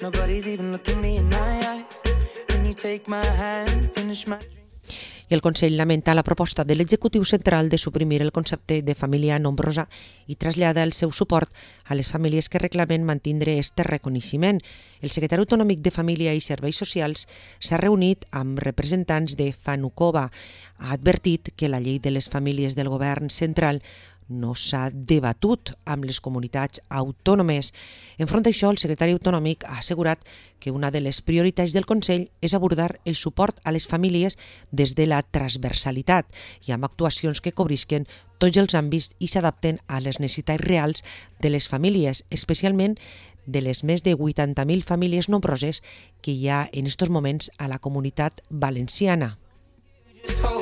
Nobody's even looking me in my eyes. When you take my hand, finish my drink. I el Consell lamenta la proposta de l'Executiu Central de suprimir el concepte de família nombrosa i trasllada el seu suport a les famílies que reclamen mantindre este reconeixement. El secretari autonòmic de Família i Serveis Socials s'ha reunit amb representants de Fanukova. Ha advertit que la llei de les famílies del govern central no s'ha debatut amb les comunitats autònomes. Enfront d'això, el secretari autonòmic ha assegurat que una de les prioritats del Consell és abordar el suport a les famílies des de la transversalitat i amb actuacions que cobrisquen tots els àmbits i s'adapten a les necessitats reals de les famílies, especialment de les més de 80.000 famílies nombroses que hi ha en estos moments a la comunitat valenciana. Just hold